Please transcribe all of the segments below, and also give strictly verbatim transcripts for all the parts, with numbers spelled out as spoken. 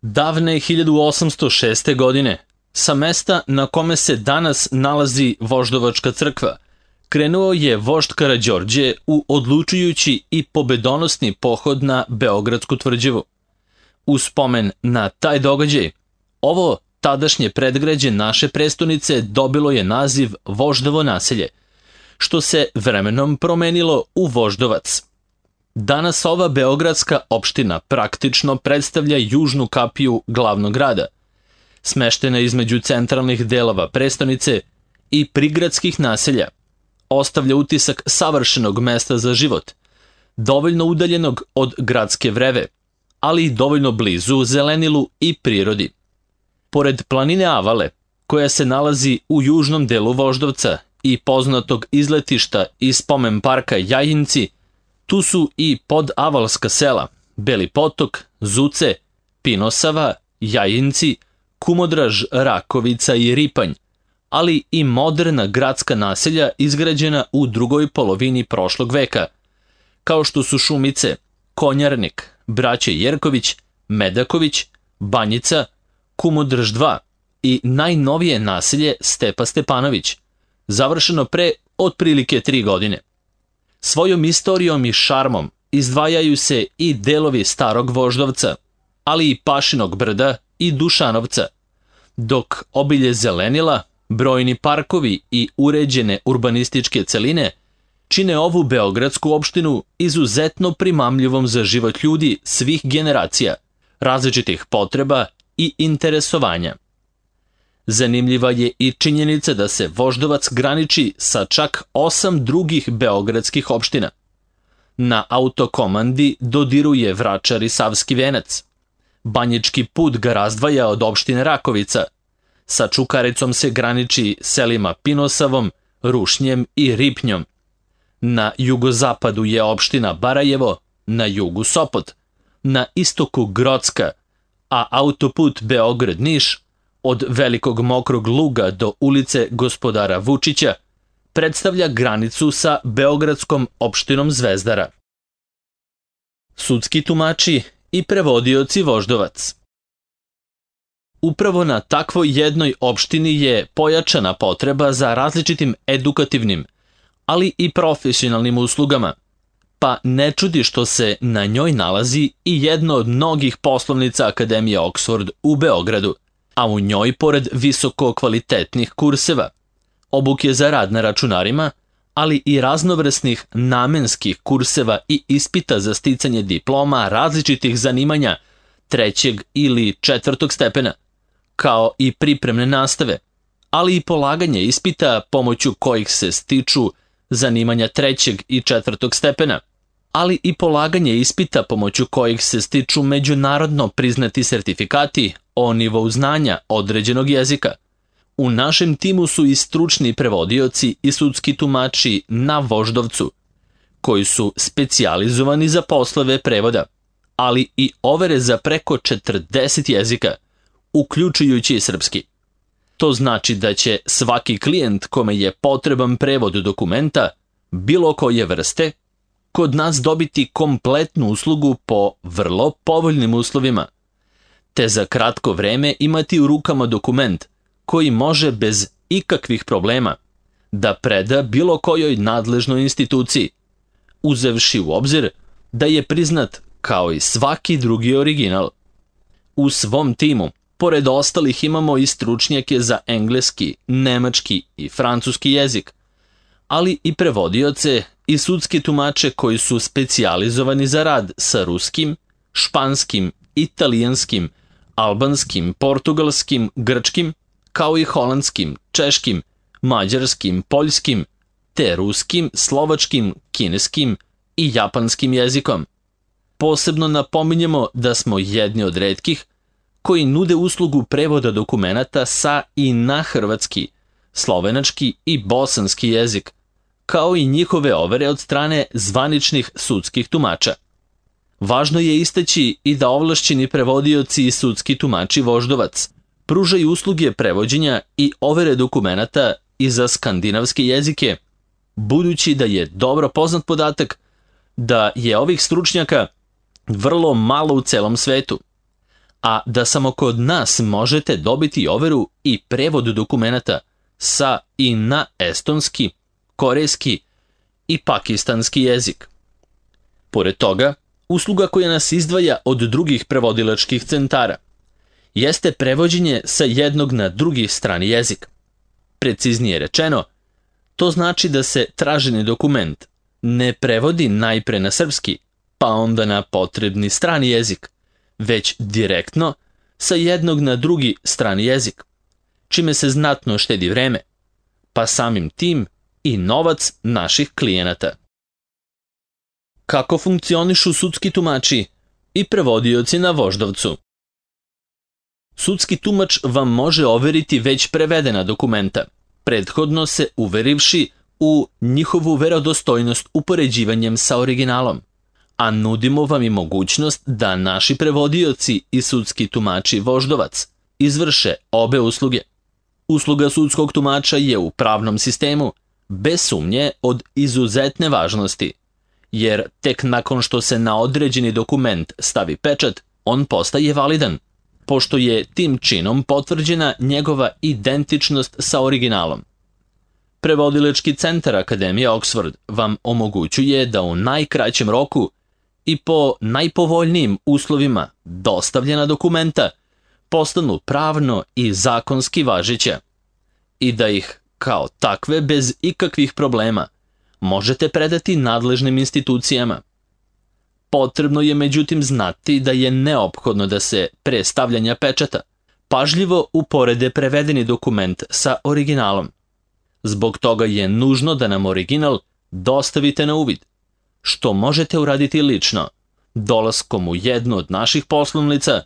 Davne hiljadu osamsto šeste. godine, sa mesta na kome se danas nalazi Voždovačka crkva, krenuo je vožd Karađorđe u odlučujući i pobedonosni pohod na Beogradsku tvrđavu. U spomen na taj događaj, ovo tadašnje predgrađe naše prestonice dobilo je naziv Voždovo naselje, što se vremenom promenilo u Voždovac. Danas ova beogradska opština praktično predstavlja južnu kapiju glavnog grada, smeštena između centralnih delova prestonice i prigradskih naselja. Ostavlja utisak savršenog mesta za život, dovoljno udaljenog od gradske vreve, ali i dovoljno blizu zelenilu i prirodi. Pored planine Avale, koja se nalazi u južnom delu Voždovca i poznatog izletišta i spomen parka Jajinci, tu su i podavalska sela Beli Potok, Zuce, Pinosava, Jajinci, Kumodraž, Rakovica i Ripanj, ali i moderna gradska naselja izgrađena u drugoj polovini prošlog veka, kao što su Šumice, Konjarnik, Braće Jerković, Medaković, Banjica, Kumodraž dva i najnovije naselje Stepa Stepanović, završeno pre otprilike tri godine. Svojom istorijom i šarmom izdvajaju se i delovi Starog Voždovca, ali i Pašinog brda i Dušanovca, dok obilje zelenila, brojni parkovi i uređene urbanističke celine čine ovu beogradsku opštinu izuzetno primamljivom za život ljudi svih generacija, različitih potreba i interesovanja. Zanimljiva je i činjenica da se Voždovac graniči sa čak osam drugih beogradskih opština. Na autokomandi dodiruje Vračar i Savski Venac. Banjički put ga razdvaja od opštine Rakovica. Sa Čukaricom se graniči selima Pinosavom, Rušnjem i Ripnjom. Na jugozapadu je opština Barajevo, na jugu Sopot, na istoku Grocka, a autoput Beograd-Niš od Velikog Mokrog Luga do ulice Gospodara Vučića predstavlja granicu sa beogradskom opštinom Zvezdara. Sudski tumači i prevodioci Voždovac. Upravo na takvoj jednoj opštini je pojačana potreba za različitim edukativnim, ali i profesionalnim uslugama, pa ne čudi što se na njoj nalazi i jedno od mnogih poslovnica Akademije Oxford u Beogradu, a u njoj, pored visoko kvalitetnih kurseva, obuke za rad na računarima, ali i raznovrsnih namenskih kurseva i ispita za sticanje diploma različitih zanimanja trećeg ili četvrtog stepena, kao i pripremne nastave, ali i polaganje ispita pomoću kojih se stiču zanimanja trećeg i četvrtog stepena, ali i polaganje ispita pomoću kojih se stiču međunarodno priznati sertifikati o nivou znanja određenog jezika. U našem timu su i stručni prevodioci i sudski tumači na Voždovcu, koji su specijalizovani za poslove prevoda, ali i overe za preko četrdeset jezika, uključujući i srpski. To znači da će svaki klijent kome je potreban prevod dokumenta, bilo koje vrste, kod nas dobiti kompletnu uslugu po vrlo povoljnim uslovima, te za kratko vreme imati u rukama dokument koji može bez ikakvih problema da preda bilo kojoj nadležnoj instituciji, uzevši u obzir da je priznat kao i svaki drugi original. U svom timu, pored ostalih, imamo i stručnjake za engleski, nemački i francuski jezik, ali i prevodioce i sudske tumače koji su specijalizovani za rad sa ruskim, španskim, italijanskim, albanskim, portugalskim, grčkim, kao i holandskim, češkim, mađarskim, poljskim, te ruskim, slovačkim, kineskim i japanskim jezikom. Posebno napominjemo da smo jedni od retkih koji nude uslugu prevoda dokumenata sa i na hrvatski, slovenački i bosanski jezik, kao i njihove overe od strane zvaničnih sudskih tumača. Važno je istaći i da ovlašćeni prevodioci i sudski tumači Voždovac pružaju usluge prevođenja i overe dokumenata i za skandinavske jezike, budući da je dobro poznat podatak da je ovih stručnjaka vrlo malo u celom svetu, a da samo kod nas možete dobiti overu i prevod dokumenata sa i na estonski, korejski i pakistanski jezik. Pored toga, usluga koja nas izdvaja od drugih prevodilačkih centara jeste prevođenje sa jednog na drugi strani jezik. Preciznije rečeno, to znači da se traženi dokument ne prevodi najpre na srpski, pa onda na potrebni strani jezik, već direktno sa jednog na drugi strani jezik, čime se znatno štedi vreme, pa samim tim i novac naših klijenata. Kako funkcionišu sudski tumači i prevodioci na Voždovcu? Sudski tumač vam može overiti već prevedena dokumenta, prethodno se uverivši u njihovu verodostojnost upoređivanjem sa originalom, a nudimo vam i mogućnost da naši prevodioci i sudski tumači Voždovac izvrše obe usluge. Usluga sudskog tumača je u pravnom sistemu bez sumnje od izuzetne važnosti, jer tek nakon što se na određeni dokument stavi pečat, on postaje validan, pošto je tim činom potvrđena njegova identičnost sa originalom. Prevodilački centar Akademije Oxford vam omogućuje da u najkraćem roku i po najpovoljnijim uslovima dostavljena dokumenta postanu pravno i zakonski važeća i da ih, kao takve, bez ikakvih problema, možete predati nadležnim institucijama. Potrebno je međutim znati da je neophodno da se pre stavljanja pečata pažljivo uporede prevedeni dokument sa originalom. Zbog toga je nužno da nam original dostavite na uvid, što možete uraditi lično, dolaskom u jednu od naših poslovnica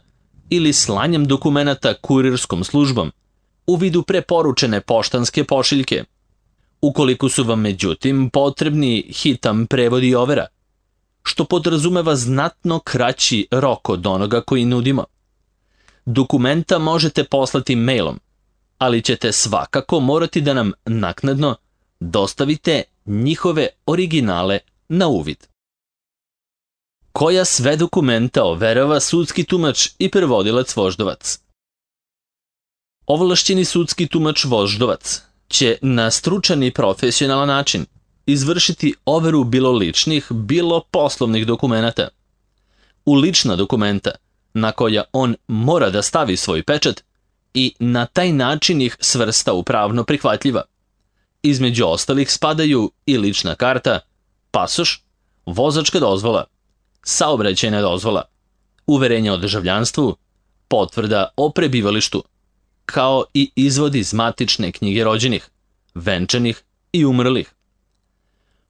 ili slanjem dokumenata kurirskom službom u vidu preporučene poštanske pošiljke. Ukoliko su vam međutim potrebni hitan prevod i overa, što podrazumeva znatno kraći rok od onoga koji nudimo, dokumenta možete poslati mailom, ali ćete svakako morati da nam naknadno dostavite njihove originale na uvid. Koja sve dokumenta overava sudski tumač i prevodilac Voždovac? Ovlašćeni sudski tumač Voždovac će na stručan i profesionalan način izvršiti overu bilo ličnih, bilo poslovnih dokumenata. U lična dokumenta, na koja on mora da stavi svoj pečat i na taj način ih svrsta u pravno prihvatljiva. Između ostalih spadaju i lična karta, pasoš, vozačka dozvola, saobraćajna dozvola, uverenje o državljanstvu, potvrda o prebivalištu, kao i izvod iz matične knjige rođenih, venčanih i umrlih.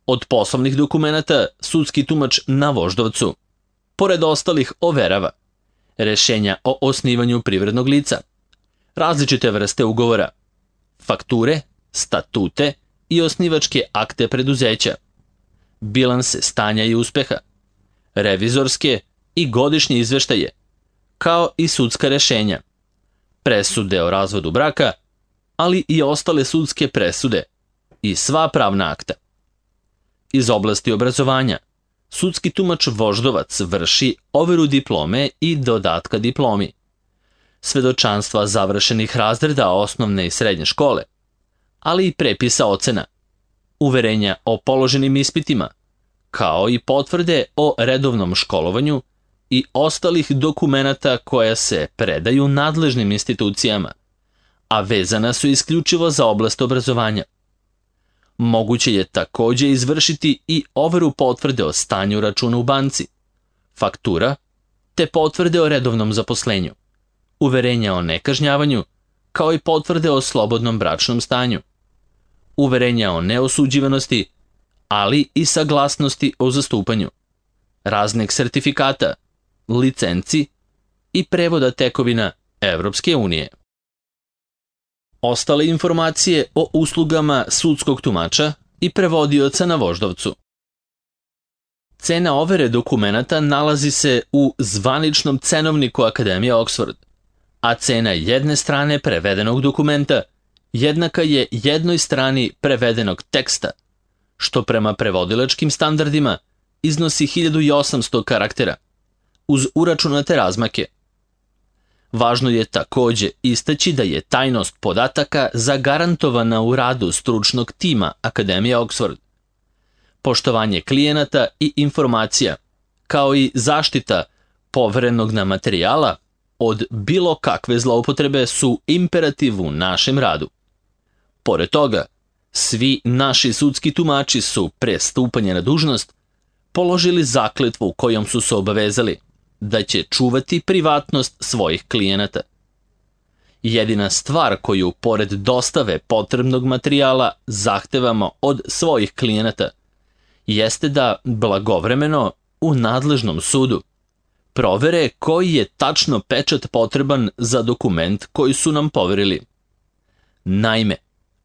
Od poslovnih dokumenata sudski tumač na Voždovcu, pored ostalih, overava rešenja o osnivanju privrednog lica, različite vrste ugovora, fakture, statute i osnivačke akte preduzeća, bilanse stanja i uspeha, revizorske i godišnje izveštaje, kao i sudska rešenja, presude o razvodu braka, ali i ostale sudske presude i sva pravna akta. Iz oblasti obrazovanja, sudski tumač Voždovac vrši overu diplome i dodatka diplomi, svedočanstva završenih razreda osnovne i srednje škole, ali i prepisa ocena, uverenja o položenim ispitima, kao i potvrde o redovnom školovanju i ostalih dokumenata koja se predaju nadležnim institucijama, a vezana su isključivo za oblast obrazovanja. Moguće je takođe izvršiti i overu potvrde o stanju računa u banci, faktura, te potvrde o redovnom zaposlenju, uverenja o nekažnjavanju, kao i potvrde o slobodnom bračnom stanju, uverenja o neosuđivanosti, ali i saglasnosti o zastupanju, raznih sertifikata, licenci i prevoda tekovina Evropske unije. Ostale informacije o uslugama sudskog tumača i prevodioca na Voždovcu. Cena overe dokumenata nalazi se u zvaničnom cenovniku Akademije Oxford, a cena jedne strane prevedenog dokumenta jednaka je jednoj strani prevedenog teksta, što prema prevodilačkim standardima iznosi hiljadu osamsto karaktera, uz uračunate razmake. Važno je takođe istaći da je tajnost podataka zagarantovana u radu stručnog tima Akademije Oxford. Poštovanje klijenata i informacija, kao i zaštita poverenog nam materijala od bilo kakve zloupotrebe su imperativ u našem radu. Pored toga, svi naši sudski tumači su pre stupanja na dužnost položili zakletvu kojom su se obavezali da će čuvati privatnost svojih klijenata. Jedina stvar koju, pored dostave potrebnog materijala, zahtevamo od svojih klijenata jeste da blagovremeno u nadležnom sudu provere koji je tačno pečat potreban za dokument koji su nam poverili. Naime,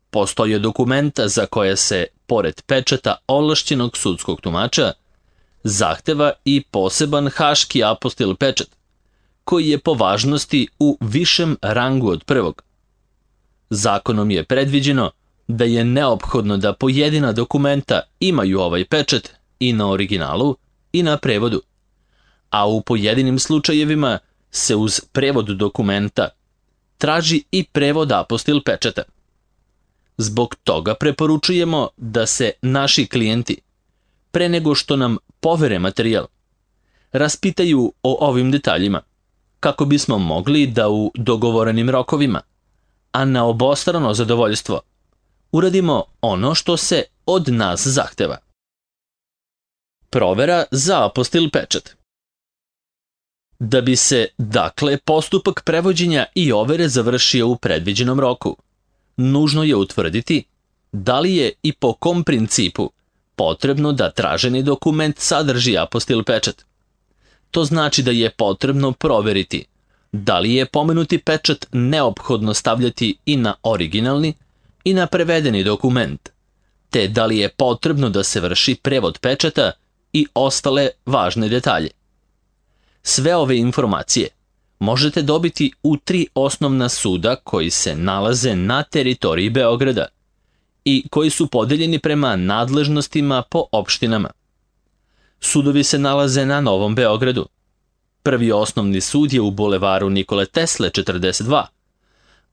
postoje dokumenta za koje se, pored pečata ovlašćenog sudskog tumača, zahteva i poseban haški apostil pečat, koji je po važnosti u višem rangu od prvog. Zakonom je predviđeno da je neophodno da pojedina dokumenta imaju ovaj pečat i na originalu i na prevodu, a u pojedinim slučajevima se uz prevod dokumenta traži i prevod apostil pečata. Zbog toga preporučujemo da se naši klijenti, pre nego što nam povere materijal, raspitaju o ovim detaljima, kako bismo mogli da u dogovorenim rokovima, a na obostrano zadovoljstvo, uradimo ono što se od nas zahteva. Provera za apostil pečat. Da bi se, dakle, postupak prevođenja i overe završio u predviđenom roku, nužno je utvrditi da li je i po kom principu potrebno da traženi dokument sadrži apostil pečat. To znači da je potrebno proveriti da li je pomenuti pečat neophodno stavljati i na originalni i na prevedeni dokument, te da li je potrebno da se vrši prevod pečata i ostale važne detalje. Sve ove informacije možete dobiti u tri osnovna suda koji se nalaze na teritoriji Beograda i koji su podeljeni prema nadležnostima po opštinama. Sudovi se nalaze na Novom Beogradu. Prvi osnovni sud je u bulevaru Nikole Tesle četrdeset dva,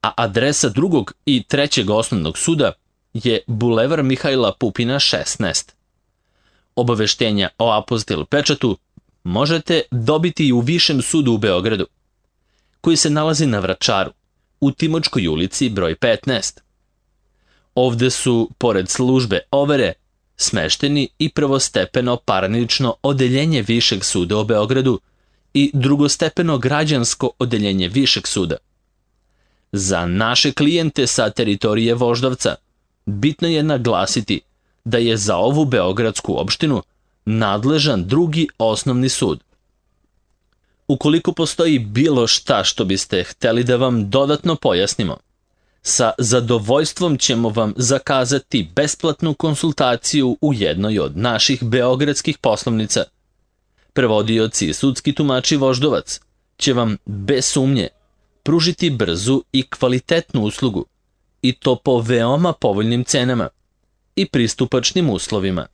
a adresa drugog i trećeg osnovnog suda je bulevar Mihajla Pupina šesnaest. Obaveštenja o apostil pečatu možete dobiti i u Višem sudu u Beogradu, koji se nalazi na Vračaru, u Timočkoj ulici broj petnaest. Ovde su, pored službe overe, smešteni i prvostepeno parnično odeljenje Višeg suda u Beogradu i drugostepeno građansko odeljenje Višeg suda. Za naše klijente sa teritorije Voždovca bitno je naglasiti da je za ovu beogradsku opštinu nadležan drugi osnovni sud. Ukoliko postoji bilo šta što biste hteli da vam dodatno pojasnimo, sa zadovoljstvom ćemo vam zakazati besplatnu konsultaciju u jednoj od naših beogradskih poslovnica. Prevodioci i sudski tumači Voždovac će vam bez sumnje pružiti brzu i kvalitetnu uslugu, i to po veoma povoljnim cenama i pristupačnim uslovima.